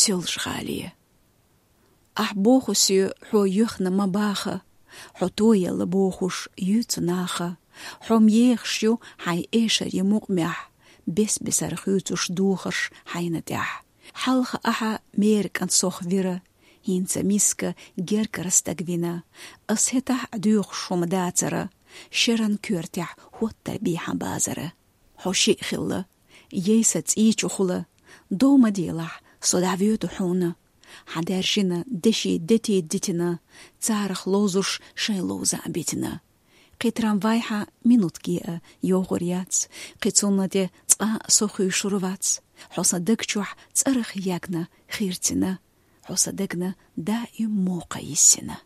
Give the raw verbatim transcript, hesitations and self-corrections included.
Соьлжа-ГӀале. Ахь боху соьга, хьо юьхна ма баха, хьо тоелла бохуш юьйцу наха. Хьо-м ехаш ю хьайн эшарийн мукъамехь, бес-бесара хуьйцуш духарш хьайна тӀехь. Хьалха ахьа мера кӀант сох вира, хӀинца миска гергара стаг вина. Ас хӀетахь а доьхуш хӀума дацара, шеран коьртехь хӀоттар бий хьан базара. Хьо шиъ хилла, ей сан цӀий чу хула, дов ма делахь, со дӀавоьду хьуна. Хьан даьржина деши дети дитина, царах ловзуш шайн ловза а битина. Кхин трамвай хьан минутке а йогӀур яц, кхин цунна тӀе цкъа а со хуьйшур вац. Хьо сан даг чохь цӀарах ягна хирцина, хьо сан дагна даим мокха йиссина.